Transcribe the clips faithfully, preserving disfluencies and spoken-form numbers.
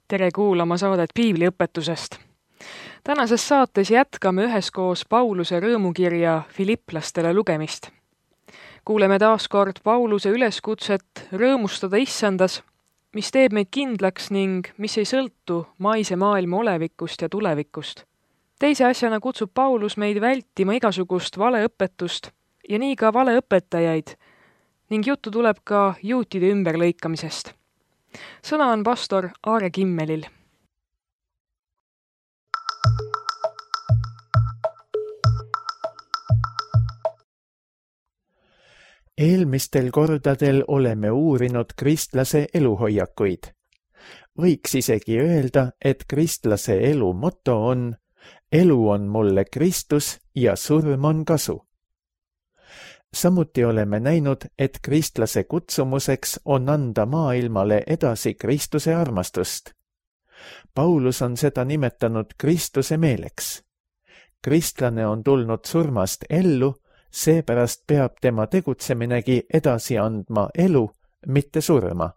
Tere kuulama saadet piibliõpetusest. Tänases saates jätkame üheskoos Pauluse rõõmukirja Filipplastele lugemist. Kuuleme taas kord Pauluse üleskutset rõõmustada issandas, mis teeb meid kindlaks ning mis ei sõltu maise maailma olevikust ja tulevikust. Teise asjana kutsub Paulus meid vältima igasugust valeõpetust ja nii ka valeõpetajaid ning juttu tuleb ka juutide ümberlõikamisest. Sõna on pastor Aare Kimmelil. Eelmistel kordadel oleme uurinud kristlase eluhoiakuid. Võiks isegi öelda, et kristlase elu moto on elu on mulle Kristus ja surm on kasu. Samuti oleme näinud, et kristlase kutsumuseks on anda maailmale edasi Kristuse armastust. Paulus on seda nimetanud Kristuse meeleks. Kristlane on tulnud surmast ellu, seepärast peab tema tegutseminegi edasi andma elu, mitte surma.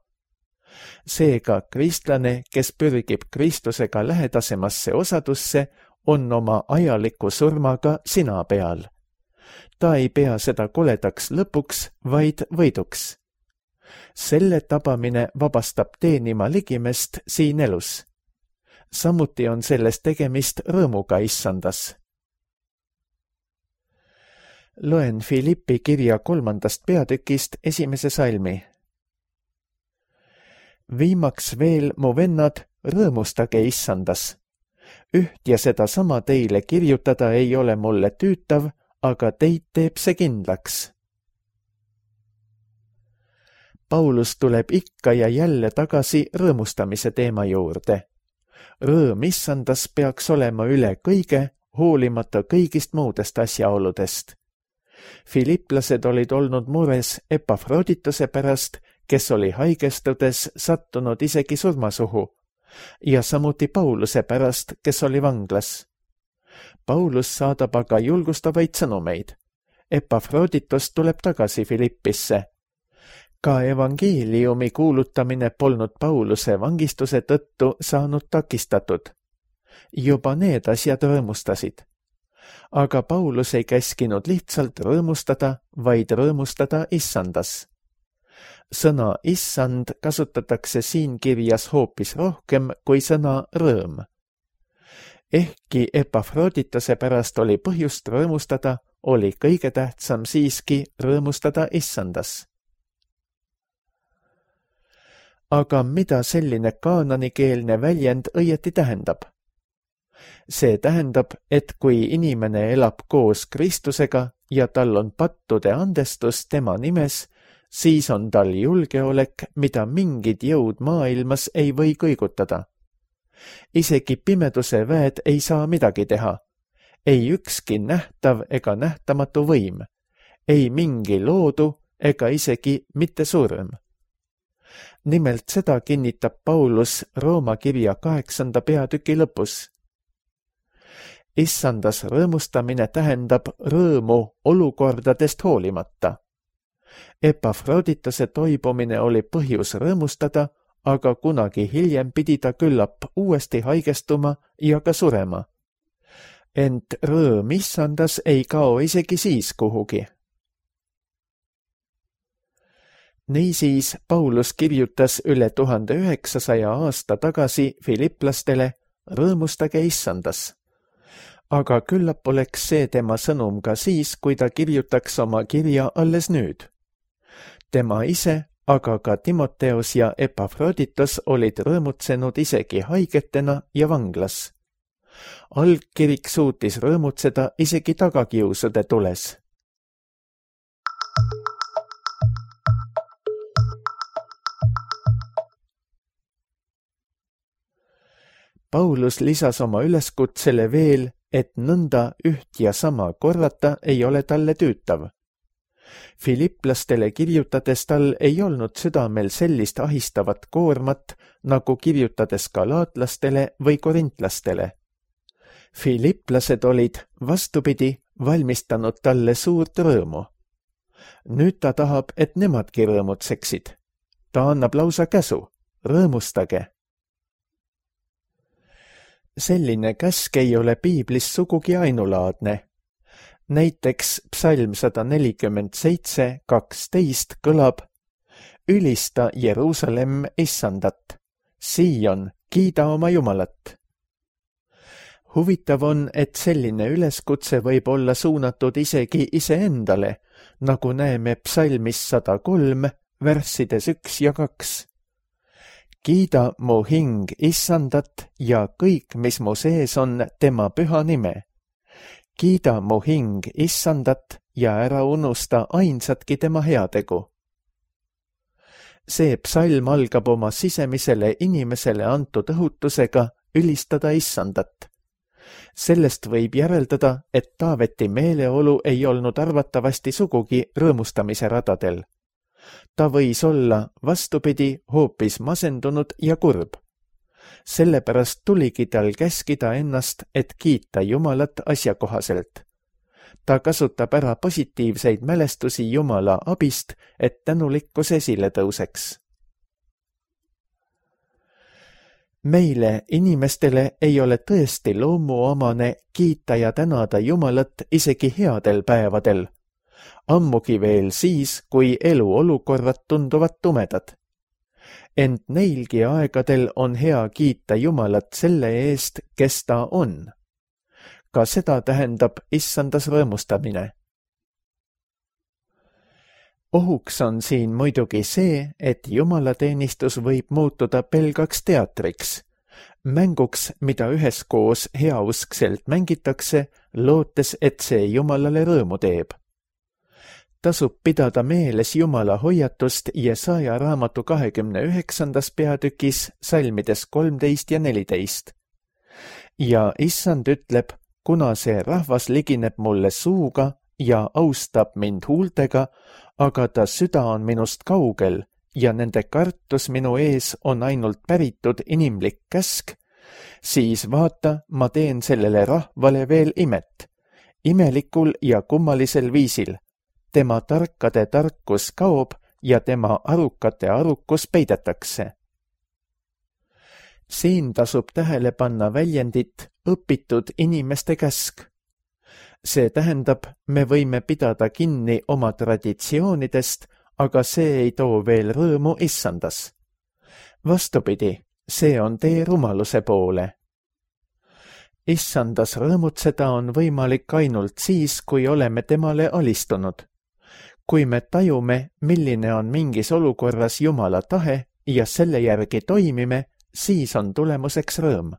Seega kristlane, kes pürgib Kristusega lähedasemasse osadusse, on oma ajaliku surmaga sina peal. Ta ei pea seda koledaks lõpuks, vaid võiduks. Selle tabamine vabastab teenima ligimest siin elus. Samuti on sellest tegemist rõõmuga issandas. Loen Filippi kirja kolmandast peatükist esimese salmi. Viimaks veel, mu vennad, rõõmustage issandas. Üht ja seda sama teile kirjutada ei ole mulle tüütav, aga teid teeb see kindlaks. Paulus tuleb ikka ja jälle tagasi rõõmustamise teema juurde. Rõõm issandas peaks olema üle kõige, hoolimata kõigist muudest asjaoludest. Filipplased olid olnud mures Epafrodituse pärast, kes oli haigestudes sattunud isegi surmasuhu, ja samuti Pauluse pärast, kes oli vanglas. Paulus saadab aga julgustavaid sõnumeid. Epafroditus tuleb tagasi Filippisse. Ka evangeeliumi kuulutamine polnud Pauluse vangistuse tõttu saanud takistatud. Juba need asjad rõõmustasid. Aga Paulus ei käskinud lihtsalt rõõmustada, vaid rõõmustada issandas. Sõna issand kasutatakse siin kirjas hoopis rohkem kui sõna rõõm. Ehkki Epafrodituse pärast oli põhjust rõõmustada, oli kõige tähtsam siiski rõõmustada issandas. Aga mida selline kaananikeelne väljend õieti tähendab? See tähendab, et kui inimene elab koos Kristusega ja tal on pattude andestus tema nimes, siis on tal julgeolek, mida mingid jõud maailmas ei või kõigutada. Isegi pimeduse väed ei saa midagi teha. Ei ükski nähtav ega nähtamatu võim. Ei mingi loodu ega isegi mitte surm. Nimelt seda kinnitab Paulus Rooma kirja kaheksanda peatüki lõpus. Issandas rõõmustamine tähendab rõõmu olukordadest hoolimata. Epafrodituse toibumine oli põhjus rõõmustada, aga kunagi hiljem pidi ta küllap uuesti haigestuma ja ka surema. Ent rõõm issandas ei kao isegi siis kuhugi. Niisiis Paulus kirjutas üle tuhande üheksasaja aasta tagasi filipplastele rõõmustage issandas. Aga küllap oleks see tema sõnum ka siis, kui ta kirjutaks oma kirja alles nüüd. Tema ise, aga ka Timoteos ja Epafroditus olid rõõmutsenud isegi haigetena ja vanglas. Algkirik suutis rõõmutseda isegi tagakiusude tules. Paulus lisas oma üleskutsele veel, et nõnda üht ja sama korrata ei ole talle tüütav. Filipplastele kirjutades tal ei olnud südamel sellist ahistavat koormat, nagu kirjutades galaatlastele või korintlastele. Filipplased olid, vastupidi, valmistanud talle suurt rõõmu. Nüüd ta tahab, et nemadki rõõmutseksid. Ta annab lausa käsu, rõõmustage. selline käsk ei ole piiblis sugugi ainulaadne. Näiteks psalm sada nelikümmend seitse kaksteist kõlab: ülista Jeruusalemm issandat, Siion, kiida oma Jumalat. Huvitav on, et selline üleskutse võib olla suunatud isegi iseendale, nagu näeme psalmis sada kolm, värssides üks ja kaks. Kiida mu hing issandat ja kõik, mis mu sees on, tema püha nime. Kiida mu hing issandat ja ära unusta ainsatki tema heategu. See psalm algab oma sisemisele inimesele antud õhutusega ülistada issandat. Sellest võib järeldada, et Taaveti meeleolu ei olnud arvatavasti sugugi rõõmustamise radadel. Ta võis olla, vastupidi, hoopis masendunud ja kurb. Sellepärast tuligi tal käskida ennast, et kiita Jumalat asjakohaselt. Ta kasutab ära positiivseid mälestusi Jumala abist, et tänulikkus esile tõuseks. Meile, inimestele, ei ole tõesti loomuomane kiita ja tänada Jumalat isegi headel päevadel. Ammugi veel siis, kui eluolukorrad tunduvad tumedad. Ent neilgi aegadel on hea kiita Jumalat selle eest, kes ta on. Ka seda tähendab issandas rõõmustamine. Ohuks on siin muidugi see, et jumalateenistus võib muutuda pelgaks teatriks, mänguks, mida üheskoos heauskselt mängitakse, lootes, et see Jumalale rõõmu teeb. Tasub pidada meeles Jumala hoiatust Jesaja raamatu kahekümne üheksandas peatükis salmides kolmteist ja neliteist. Ja issand ütleb, kuna see rahvas ligineb mulle suuga ja austab mind huultega, aga ta süda on minust kaugel ja nende kartus minu ees on ainult päritud inimlik käsk, siis vaata, ma teen sellele rahvale veel imet, imelikul ja kummalisel viisil. Tema tarkade tarkus kaob ja tema arukate arukus peidetakse. Siin tasub tähele panna väljendit õpitud inimeste käsk. See tähendab, me võime pidada kinni oma traditsioonidest, aga see ei too veel rõõmu issandas. Vastupidi, see on tee rumaluse poole. Issandas rõõmutseda on võimalik ainult siis, kui oleme temale alistunud. Kui me tajume, milline on mingis olukorras Jumala tahe ja selle järgi toimime, siis on tulemuseks rõõm.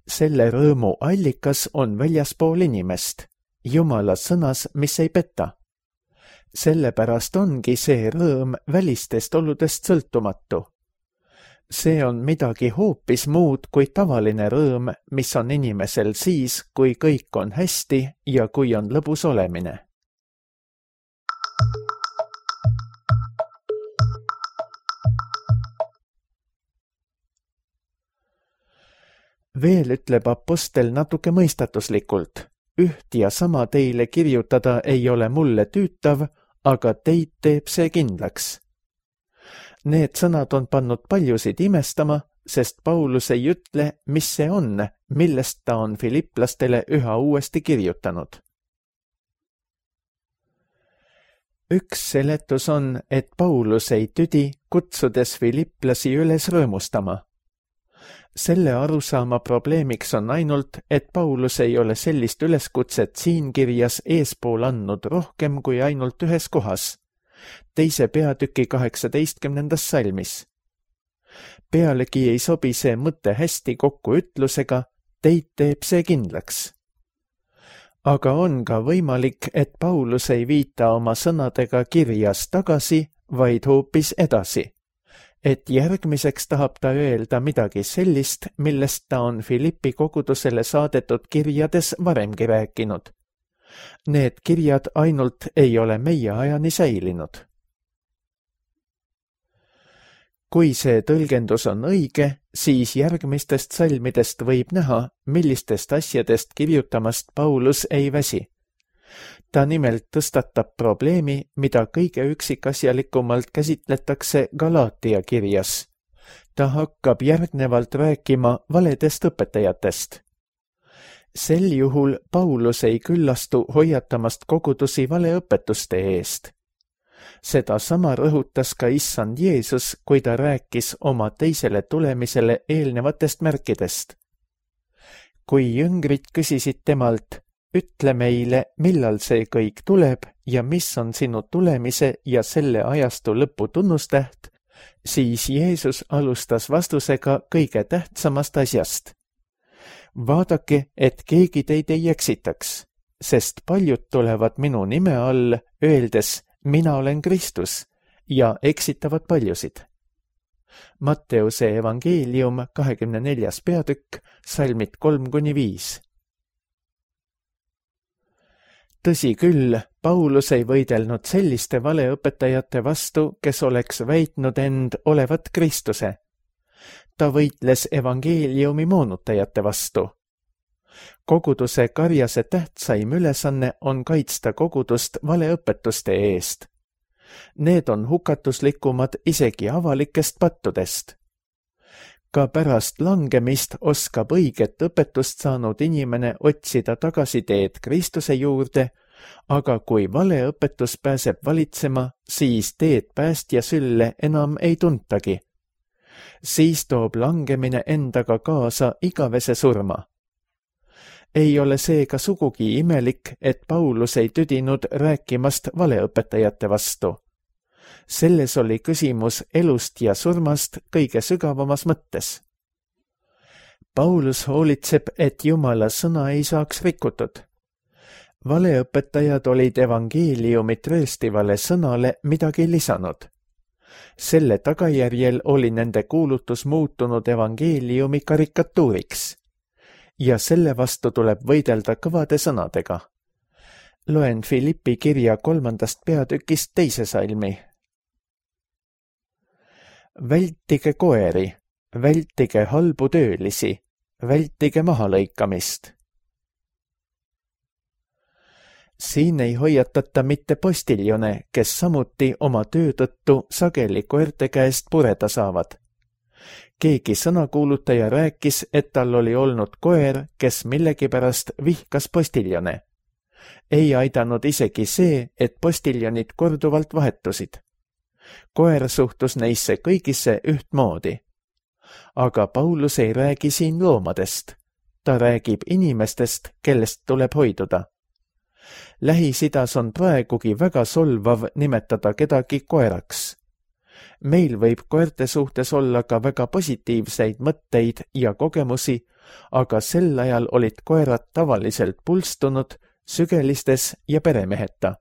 Selle rõõmu allikas on väljaspool inimest, Jumala sõnas, mis ei peta. Sellepärast ongi see rõõm välistest oludest sõltumatu. See on midagi hoopis muud kui tavaline rõõm, mis on inimesel siis, kui kõik on hästi ja kui on lõbus olemine. Veel ütleb apostel natuke mõistatuslikult, üht ja sama teile kirjutada ei ole mulle tüütav, aga teid teeb see kindlaks. Need sõnad on pannud paljusid imestama, sest Paulus ei ütle, mis see on, millest ta on filiplastele üha uuesti kirjutanud. Üks seletus on, et Paulus ei tüdi, kutsudes filiplasi üles rõõmustama. Selle arusaama probleemiks on ainult, et Paulus ei ole sellist üleskutset siin kirjas eespool andnud rohkem kui ainult ühes kohas, teise peatüki kaheksateistkümnendas salmis. Pealegi ei sobi see mõte hästi kokku ütlusega, teid teeb see kindlaks. Aga on ka võimalik, et Paulus ei viita oma sõnadega kirjas tagasi, vaid hoopis edasi. Et järgmiseks tahab ta öelda midagi sellist, millest ta on Filippi kogudusele saadetud kirjades varemgi rääkinud. Need kirjad ainult ei ole meie ajani säilinud. Kui see tõlgendus on õige, siis järgmistest salmidest võib näha, millistest asjadest kirjutamast Paulus ei väsi. Ta nimelt tõstatab probleemi, mida kõige üksikasjalikumalt käsitletakse Galaatia kirjas. ta hakkab järgnevalt rääkima valedest õpetajatest. Sel juhul Paulus ei küllastu hoiatamast kogudusi valeõpetuste eest. Seda sama rõhutas ka issand Jeesus, kui ta rääkis oma teisele tulemisele eelnevatest märkidest. Kui jüngrid küsisid temalt, ütle meile, millal see kõik tuleb ja mis on sinu tulemise ja selle ajastu lõpu tunnustäht, siis Jeesus alustas vastusega kõige tähtsamast asjast. Vaadake, et keegi teid ei eksitaks, sest paljud tulevad minu nime all, öeldes, mina olen Kristus, ja eksitavad paljusid. Matteuse evangeelium kahekümne neljas peatükk, salmid kolm kuni viis. Tõsi küll, Paulus ei võidelnud selliste valeõpetajate vastu, kes oleks väitnud end olevat Kristuse. Ta võitles evangeeliumi moonutajate vastu. Koguduse karjase tähtsaim ülesanne on kaitsta kogudust valeõpetuste eest. Need on hukatuslikumad isegi avalikest pattudest. Ka pärast langemist oskab õiget õpetust saanud inimene otsida tagasiteed Kristuse juurde, aga kui valeõpetus pääseb valitsema, siis teed päästja sülle enam ei tuntagi. Siis toob langemine endaga kaasa igavese surma. Ei ole seega sugugi imelik, et Paulus ei tüdinud rääkimast valeõpetajate vastu. Selles oli küsimus elust ja surmast kõige sügavamas mõttes. Paulus hoolitseb, et Jumala sõna ei saaks rikutud. Valeõpetajad olid evangeeliumit rööstivale sõnale midagi lisanud. Selle tagajärjel oli nende kuulutus muutunud evangeeliumi karikatuuriks. Ja selle vastu tuleb võidelda kõvade sõnadega. Loen Filippi kirja kolmandast peatükist teise salmi. Vältige koeri, vältige halbu töölisi, vältige mahalõikamist. Siin ei hoiatata mitte postiljone, kes samuti oma töö tõttu sageli koerte käest pureda saavad. Keegi sõnakuulutaja rääkis, et tal oli olnud koer, kes millegipärast vihkas postiljone. Ei aidanud isegi see, et postiljonid korduvalt vahetusid. Koer suhtus neisse kõigisse ühtmoodi. Aga Paulus ei räägi siin loomadest. Ta räägib inimestest, kellest tuleb hoiduda. Lähis-Idas on praegugi väga solvav nimetada kedagi koeraks. Meil võib koerte suhtes olla ka väga positiivseid mõtteid ja kogemusi, aga sel ajal olid koerad tavaliselt pulstunud, sügelistes ja peremeheta.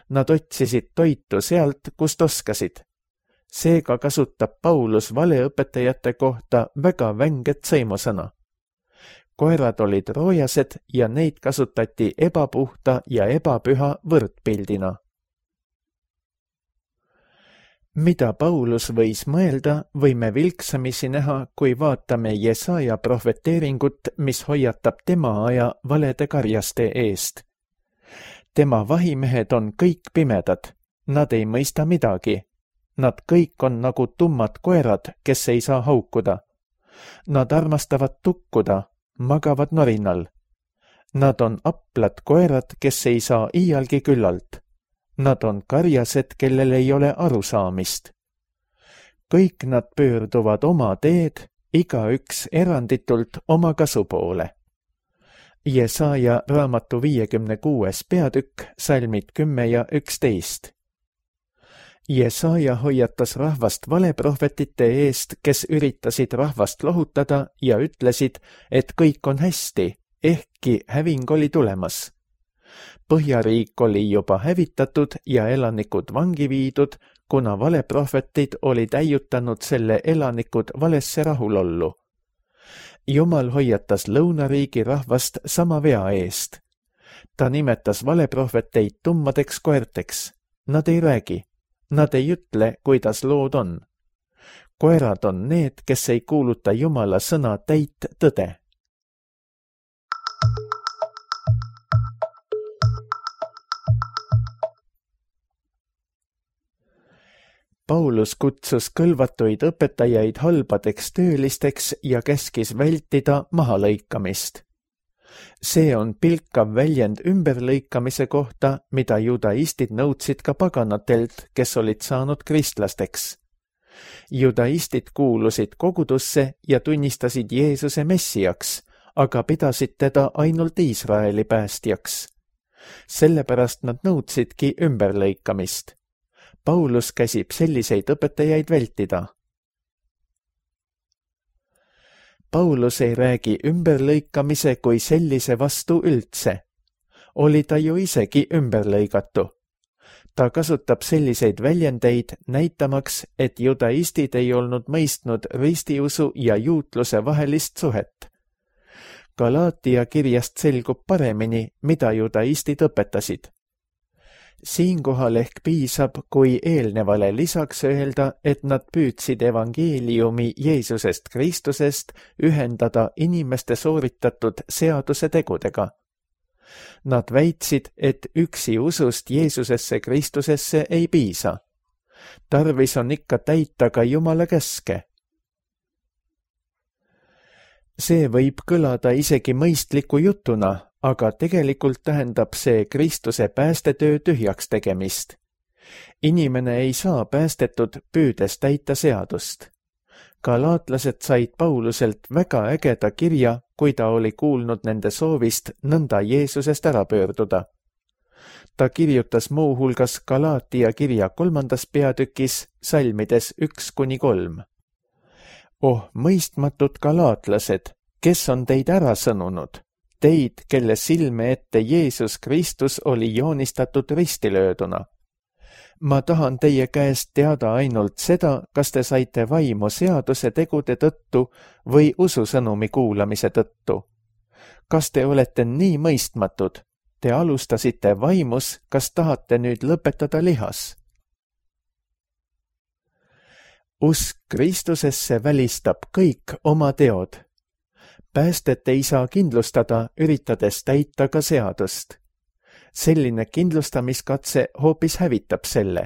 Nad otsisid toitu sealt, kust oskasid. Seega kasutab Paulus valeõpetajate kohta väga vänget sõimusõna. Koerad olid roojased ja neid kasutati ebapuhta ja ebapüha võrdpildina. Mida Paulus võis mõelda, võime vilksamisi näha, kui vaatame Jesaja prohveteeringut, mis hoiatab tema aja valede karjaste eest. Tema vahimehed on kõik pimedad, nad ei mõista midagi. Nad kõik on nagu tummad koerad, kes ei saa haukuda. Nad armastavad tukkuda, magavad norinal. Nad on aplad koerad, kes ei saa iialgi küllalt. Nad on karjased, kellel ei ole arusaamist. Kõik nad pöörduvad oma teed, igaüks eranditult oma kasu poole. Jesaja raamatu viiekümne kuues peatükk, salmid kümme ja üksteist. Jesaja hoiatas rahvast valeprohvetite eest, kes üritasid rahvast lohutada ja ütlesid, et kõik on hästi, ehkki häving oli tulemas. Põhjariik oli juba hävitatud ja elanikud vangi viidud, kuna valeprohvetid olid äiutanud selle elanikud valesse rahulollu. Jumal hoiatas lõunariigi rahvast sama vea eest. Ta nimetas valeprohveteid tummadeks koerteks. Nad ei räägi. Nad ei ütle, kuidas lood on. Koerad on need, kes ei kuuluta Jumala sõna täit tõde. Paulus kutsus kõlvatuid õpetajaid halbadeks töölisteks ja käskis vältida mahalõikamist. See on pilkav väljend ümberlõikamise kohta, mida judaistid nõudsid ka paganatelt, kes olid saanud kristlasteks. Judaistid kuulusid kogudusse ja tunnistasid Jeesuse messiaks, aga pidasid teda ainult Iisraeli päästjaks. Sellepärast nad nõudsidki ümberlõikamist. Paulus käsib selliseid õpetajaid vältida. Paulus ei räägi ümberlõikamise kui sellise vastu üldse. Oli ta ju isegi ümberlõigatu. Ta kasutab selliseid väljendeid näitamaks, et judaistid ei olnud mõistnud ristiusu ja juutluse vahelist suhet. Galaatia kirjast selgub paremini, mida judaistid õpetasid. Siinkohal ehk piisab, kui eelnevale lisaks öelda, et nad püüdsid evangeeliumi Jeesusest Kristusest ühendada inimeste sooritatud seaduse tegudega. Nad väitsid, et üksi usust Jeesusesse Kristusesse ei piisa. Tarvis on ikka täita ka Jumala käske. See võib kõlada isegi mõistliku jutuna, aga tegelikult tähendab see Kristuse päästetöö tühjaks tegemist. Inimene ei saa päästetud püüdes täita seadust. Galaatlased said Pauluselt väga ägeda kirja, kui ta oli kuulnud nende soovist nõnda Jeesusest ära pöörduda. Ta kirjutas muu hulgas Galaatia kirja kolmandas peatükis salmides üks kuni kolm. Oh, mõistmatud galaatlased, kes on teid ära sõnunud? Teid, kelle silme ette Jeesus Kristus oli joonistatud ristilööduna. Ma tahan teie käest teada ainult seda, kas te saite vaimu seaduse tegude tõttu või ususõnumi kuulamise tõttu. Kas te olete nii mõistmatud? Te alustasite vaimus, kas tahate nüüd lõpetada lihas? Usk Kristusesse välistab kõik oma teod. Päästet ei saa kindlustada, üritades täita ka seadust. Selline kindlustamiskatse hoopis hävitab selle.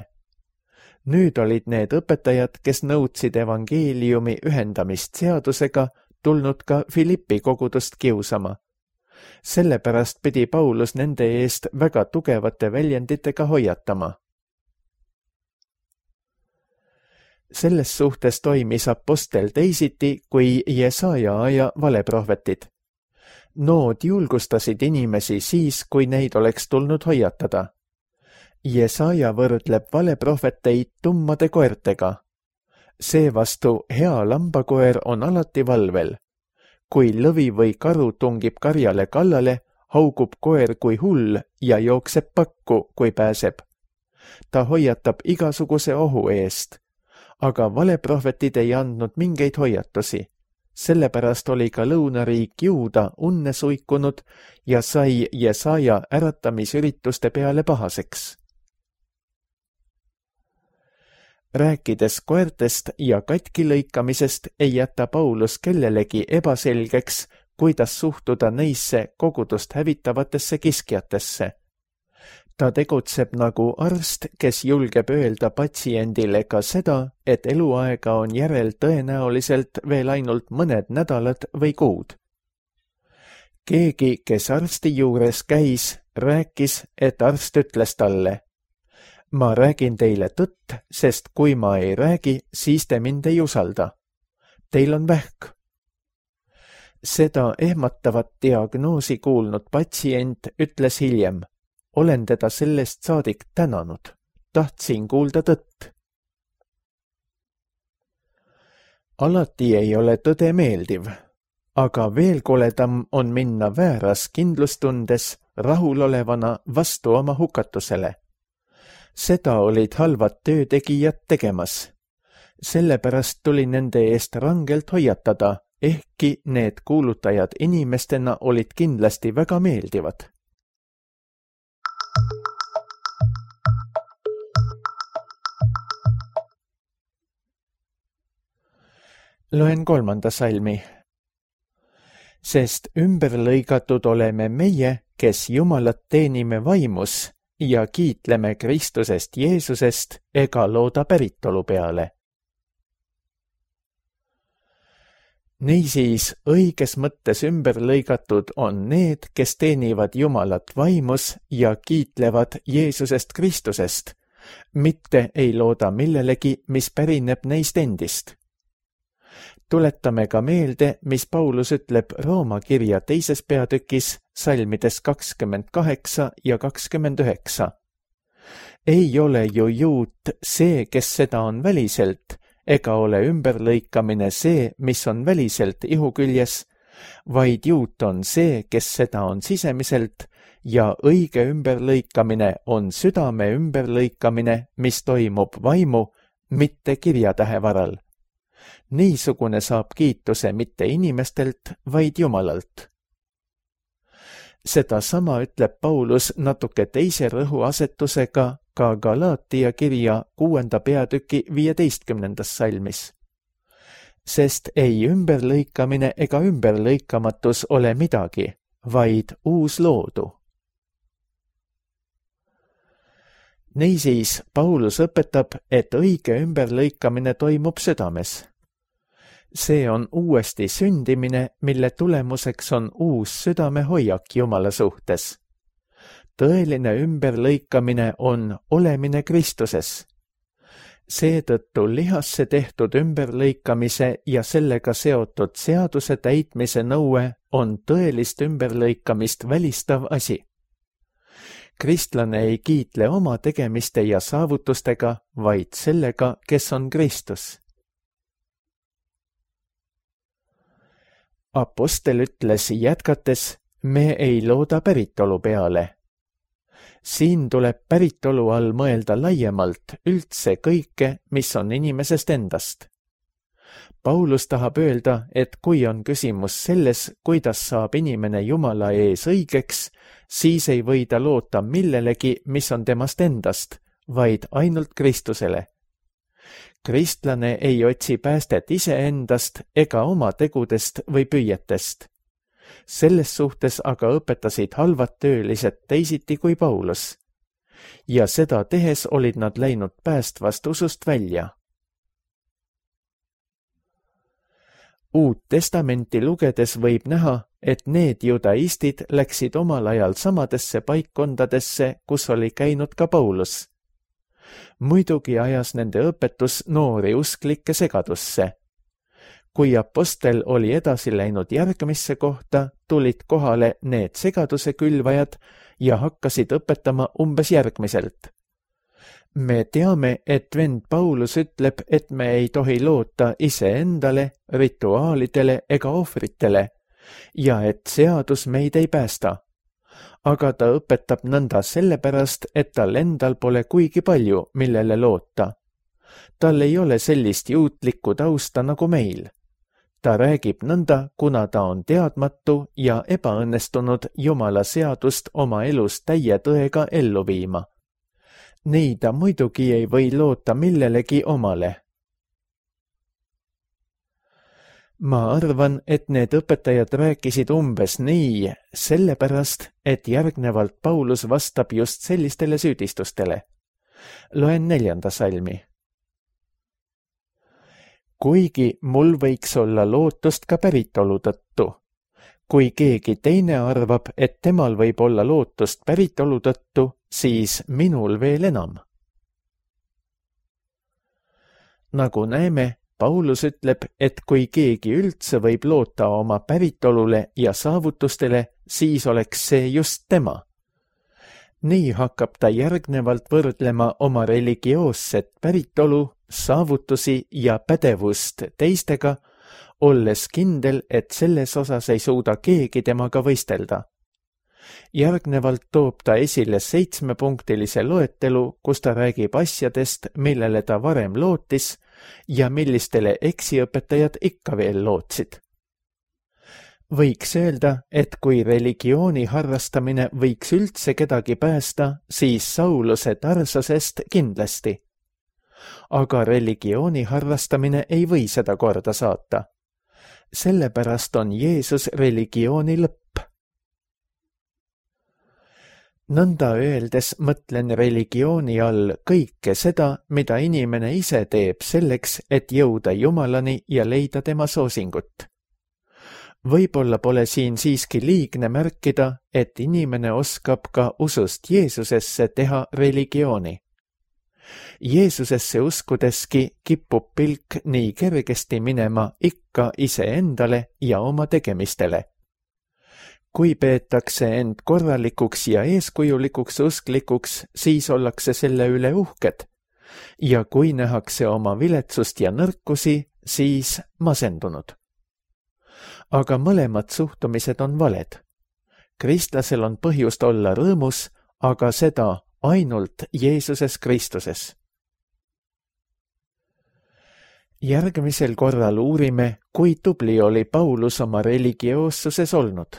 Nüüd olid need õpetajad, kes nõudsid evangeeliumi ühendamist seadusega, tulnud ka Filippi kogudust kiusama. Sellepärast pidi Paulus nende eest väga tugevate väljenditega hoiatama. Selles suhtes toimis apostel teisiti kui Jesaja aja valeprohvetid. Nood julgustasid inimesi siis, kui neid oleks tulnud hoiatada. Jesaja võrdleb valeprohveteid tummade koertega. Seevastu hea lambakoer on alati valvel. Kui lõvi või karu tungib karjale kallale, haugub koer kui hull ja jookseb pakku, kui pääseb. Ta hoiatab igasuguse ohu eest. Aga valeprohvetid ei andnud mingeid hoiatusi. Sellepärast oli ka lõunariik Juuda unne suikunud ja sai Jesaja äratamisürituste peale pahaseks. Rääkides koertest ja katkilõikamisest ei jäta Paulus kellelegi ebaselgeks, kuidas suhtuda neisse kogudust hävitavatesse kiskjatesse. Ta tegutseb nagu arst, kes julgeb öelda patsiendile ka seda, et eluaega on järel tõenäoliselt veel ainult mõned nädalad või kuud. Keegi, kes arsti juures käis, rääkis, et arst ütles talle: ma räägin teile tõtt, sest kui ma ei räägi, siis te mind ei usalda. Teil on vähk. Seda ehmatavat diagnoosi kuulnud patsient ütles hiljem: olen teda sellest saadik tänanud. Tahtsin kuulda tõtt. Alati ei ole tõde meeldiv, aga veel koledam on minna vääras kindlustundes rahulolevana vastu oma hukatusele. Seda olid halvad töötegijad tegemas. Sellepärast tuli nende eest rangelt hoiatada, ehkki need kuulutajad inimestena olid kindlasti väga meeldivad. Loen kolmanda salmi. Sest ümberlõigatud oleme meie, kes Jumalat teenime vaimus ja kiitleme Kristusest Jeesusest ega looda päritolu peale. Niisiis õiges mõttes ümber lõigatud on need, kes teenivad Jumalat vaimus ja kiitlevad Jeesusest Kristusest, mitte ei looda millelegi, mis pärineb neist endist. Tuletame ka meelde, mis Paulus ütleb Rooma kirja teises peatükis salmides kakskümmend kaheksa ja kakskümmend üheksa. Ei ole ju juut see, kes seda on väliselt, ega ole ümberlõikamine see, mis on väliselt ihu küljes, vaid juut on see, kes seda on sisemiselt, ja õige ümberlõikamine on südame ümberlõikamine, mis toimub vaimu, mitte kirjatähe varal. Niisugune saab kiituse mitte inimestelt, vaid Jumalalt. Seda sama ütleb Paulus natuke teise rõhuasetusega ka Galaatia kirja kuuenda peatüki viieteistkümnendas salmis. Sest ei ümberlõikamine ega ümberlõikamatus ole midagi, vaid uus loodu. Niisiis, Paulus õpetab, et õige ümberlõikamine toimub südames. See on uuesti sündimine, mille tulemuseks on uus südamehoiak Jumala suhtes. Tõeline ümberlõikamine on olemine Kristuses. Seetõttu lihasse tehtud ümberlõikamise ja sellega seotud seaduse täitmise nõue on tõelist ümberlõikamist välistav asi. Kristlane ei kiitle oma tegemiste ja saavutustega, vaid sellega, kes on Kristus. Apostel ütles jätkates, me ei looda päritolu peale. Siin tuleb päritolu all mõelda laiemalt üldse kõike, mis on inimesest endast. Paulus tahab öelda, et kui on küsimus selles, kuidas saab inimene Jumala ees õigeks, siis ei või ta loota millelegi, mis on temast endast, vaid ainult Kristusele. Kristlane ei otsi päästet iseendast ega oma tegudest või püüetest. Selles suhtes aga õpetasid halvad töölised teisiti kui Paulus. Ja seda tehes olid nad läinud päästvast usust välja. Uut testamenti lugedes võib näha, et need judaistid läksid omal ajal samadesse paikkondadesse, kus oli käinud ka Paulus. Muidugi ajas nende õpetus noori usklikke segadusse. Kui apostel oli edasi läinud järgmisse kohta, tulid kohale need segaduse külvajad ja hakkasid õpetama umbes järgmiselt. Me teame, et vend Paulus ütleb, et me ei tohi loota iseendale, rituaalidele ega ohvritele ja et seadus meid ei päästa. Aga ta õpetab nõnda sellepärast, et tal endal pole kuigi palju, millele loota. Tal ei ole sellist juutlikku tausta nagu meil. Ta räägib nõnda, kuna ta on teadmatu ja ebaõnnestunud Jumala seadust oma elus täie tõega ellu viima. Nii ta muidugi ei või loota millelegi omale. Ma arvan, et need õpetajad rääkisid umbes nii, sellepärast, et järgnevalt Paulus vastab just sellistele süüdistustele. Loen neljanda salmi. Kuigi mul võiks olla lootust ka päritolu tõttu. Kui keegi teine arvab, et temal võib olla lootust päritolu tõttu, siis minul veel enam. Nagu näeme, Paulus ütleb, et kui keegi üldse võib loota oma päritolule ja saavutustele, siis oleks see just tema. Nii hakkab ta järgnevalt võrdlema oma religioosset päritolu, saavutusi ja pädevust teistega, olles kindel, et selles osas ei suuda keegi temaga võistelda. Järgnevalt toob ta esile seitsmepunktilise loetelu, kus ta räägib asjadest, millele ta varem lootis ja millistele eksiõpetajad ikka veel lootsid. Võiks öelda, et kui religiooni harrastamine võiks üldse kedagi päästa, siis Sauluse Tarsosest kindlasti. Aga religiooni harrastamine ei või seda korda saata. Sellepärast on Jeesus religiooni lõpp. nõnda öeldes mõtlen religiooni all kõike seda, mida inimene ise teeb selleks, et jõuda Jumalani ja leida tema soosingut. Võib-olla pole siin siiski liigne märkida, et inimene oskab ka usust Jeesusesse teha religiooni. Jeesusesse uskudeski kipub pilk nii kergesti minema ikka iseendale ja oma tegemistele. Kui peetakse end korralikuks ja eeskujulikuks usklikuks, siis ollakse selle üle uhked. Ja kui nähakse oma viletsust ja nõrkusi, siis masendunud. Aga mõlemad suhtumised on valed. Kristlasel on põhjust olla rõõmus, aga seda ainult Jeesuses Kristuses. Järgmisel korral uurime, kui tubli oli Paulus oma religioossuses olnud.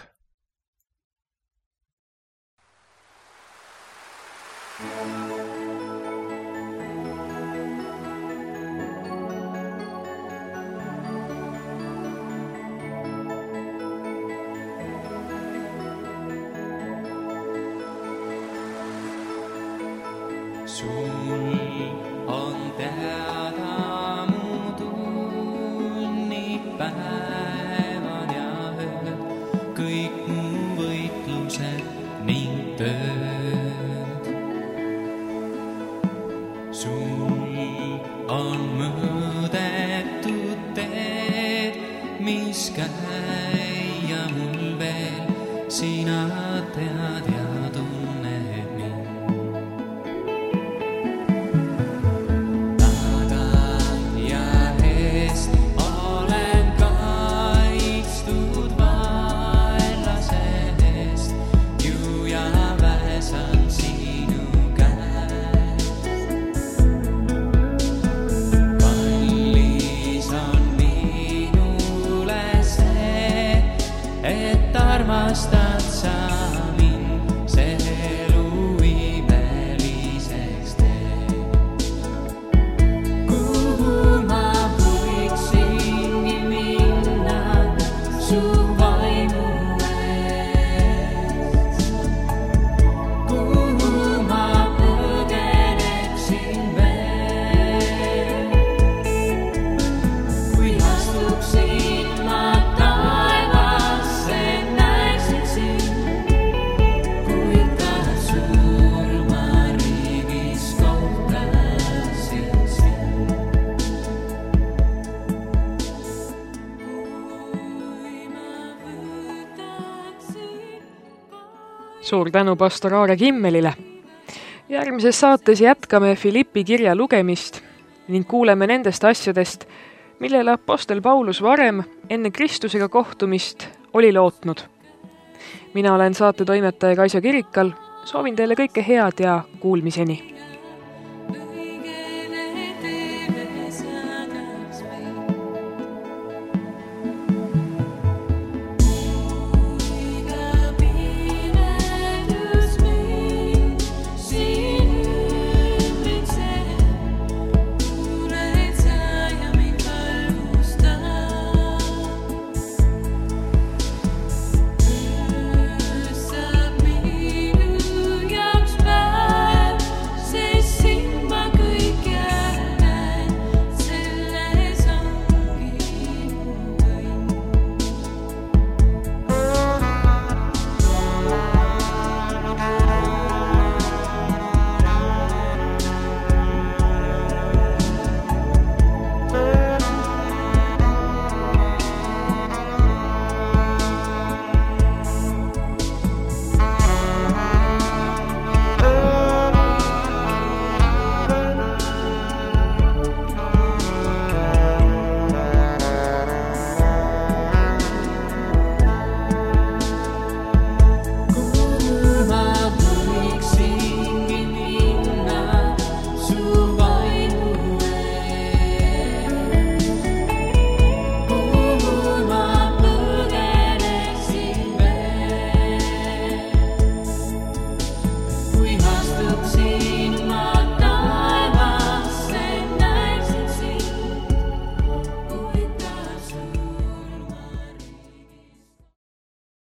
Sul on teada mu tunnid, päevad ja ööd, kõik mu võitlused ning tööd. Sul on mõõdetud teed, mis käia mul veel, sina tead ja tunned mind. Armastad sa mind, see elu imeliseks teeb. Kuhu ma võiksingi minna su vaimu eest? Kuhu ma põgeneksin veel? Kui astuksin ma Suur tänu pastor Aare Kimmelile. Järgmises saates jätkame Filippi kirja lugemist ning kuuleme nendest asjadest, millele apostel Paulus varem enne Kristusega kohtumist oli lootnud. Mina olen saate toimetaja Kaisa Kirikal, soovin teile kõike head ja kuulmiseni.